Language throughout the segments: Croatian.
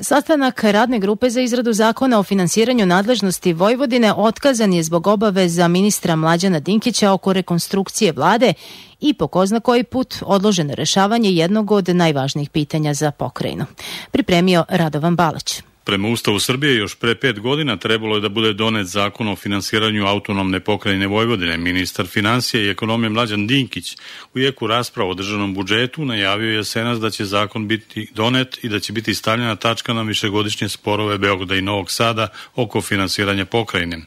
Sastanak radne grupe za izradu zakona o finansiranju nadležnosti Vojvodine otkazan je zbog obaveza ministra Mlađana Dinkića oko rekonstrukcije vlade i po ko zna koji put odloženo rešavanje jednog od najvažnijih pitanja za pokrajinu. Pripremio Radovan Balać. Prema Ustavu Srbije još pre 5 godina trebalo je da bude donet zakon o finansiranju autonomne pokrajine Vojvodine. Ministar finansija i ekonomije Mlađan Dinkić u jeku rasprava o državnom budžetu najavio je jesenas da će zakon biti donet i da će biti stavljena tačka na višegodišnje sporove Beograda i Novog Sada oko finansiranja pokrajine.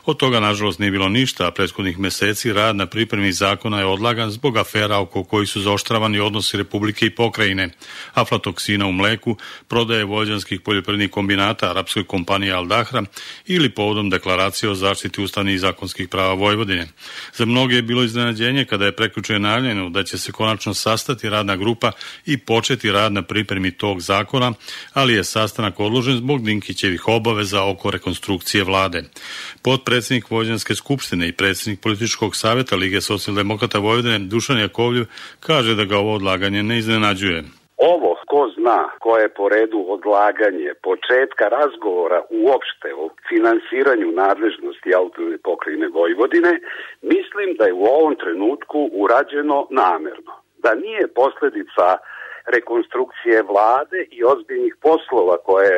Od toga nažalost nije bilo ništa, a prethodnih meseci rad na pripremi zakona je odlagan zbog afera oko kojih su zaoštravani odnosi Republike i pokrajine, aflatoksina u mleku, prodaje vojvođanskih poljoprivrednih kombinata arapskoj kompaniji Al Dahra ili povodom deklaracije o zaštiti ustavnih i zakonskih prava Vojvodine. Za mnoge je bilo iznenađenje kada je prekjuče najavljeno da će se konačno sastati radna grupa i početi rad na pripremi tog zakona, ali je sastanak odložen zbog Dinkićevih obaveza oko rekonstrukcije vlade. Potpredsednik Vojvođanske skupštine i predsednik političkog saveta Lige socijaldemokrata Vojvodine Dušan Jakovljev kaže da ga ovo odlaganje ne iznenađuje. Ovo, ko zna, koje je po redu odlaganje početka razgovora uopšte o finansiranju nadležnosti autonomne pokrajine Vojvodine, mislim da je u ovom trenutku urađeno namerno. Da nije posledica rekonstrukcije vlade i ozbiljnih poslova koje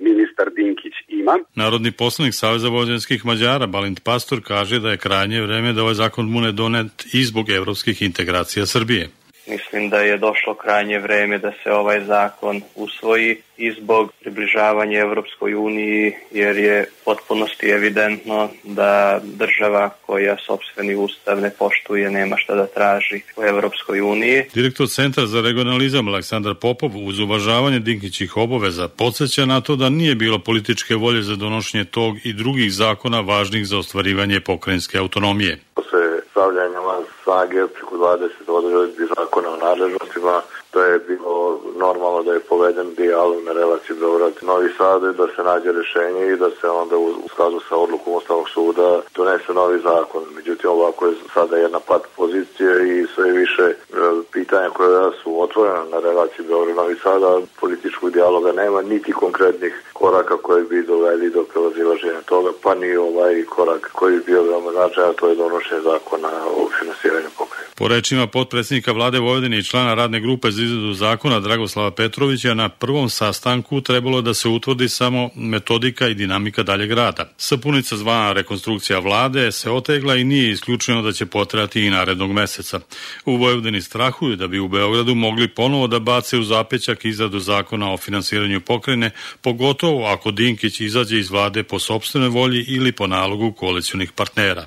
ministar Dinkić ima. Narodni poslanik Saveza vojvođanskih Mađara Balint Pastor kaže da je krajnje vreme da ovaj zakon bude donet i zbog evropskih integracija Srbije. Mislim da je došlo krajnje vreme da se ovaj zakon usvoji i zbog približavanja Evropskoj uniji, jer je potpunosti evidentno da država koja sopstveni ustav ne poštuje nema šta da traži u Evropskoj uniji. Direktor Centra za regionalizam Aleksandar Popov uz uvažavanje Dinkićih obaveza podsjeća na to da nije bilo političke volje za donošenje tog i drugih zakona važnih za ostvarivanje pokrajinske autonomije. Stavljanja van snage preko 20 odredbi zakona o nadležnostima, da je bilo normalno da je poveden dijalog na relaciji Beograd-Novi Sad, da se nađe rešenje i da se onda u skladu sa odlukom Ustavnog suda donese novi zakon. Međutim, ovako je sada jedna pat pozicija i sve više pitanja koja su otvorena na relaciji Beograd-Novi Sada, političkog dijaloga nema, niti konkretnih koraka koji bi doveli do prevazilaženja toga, pa ni ovaj korak koji bi bio veoma značajan, to je donošenje zakona o finansiranju pokrajine. Po rečima potpredsjednika vlade Vojvodine i člana radne grupe za izradu zakona Dragoslava Petrovića, na prvom sastanku trebalo da se utvrdi samo metodika i dinamika daljeg rada. Sapunica zvana rekonstrukcija vlade se otegla i nije isključeno da će potrajati i narednog meseca. U Vojvodini strahuju da bi u Beogradu mogli ponovo da bace u zapećak izradu zakona o finansiranju pokrajine, pogotovo ako Dinkić izađe iz vlade po sopstvenoj volji ili po nalogu koalicionih partnera.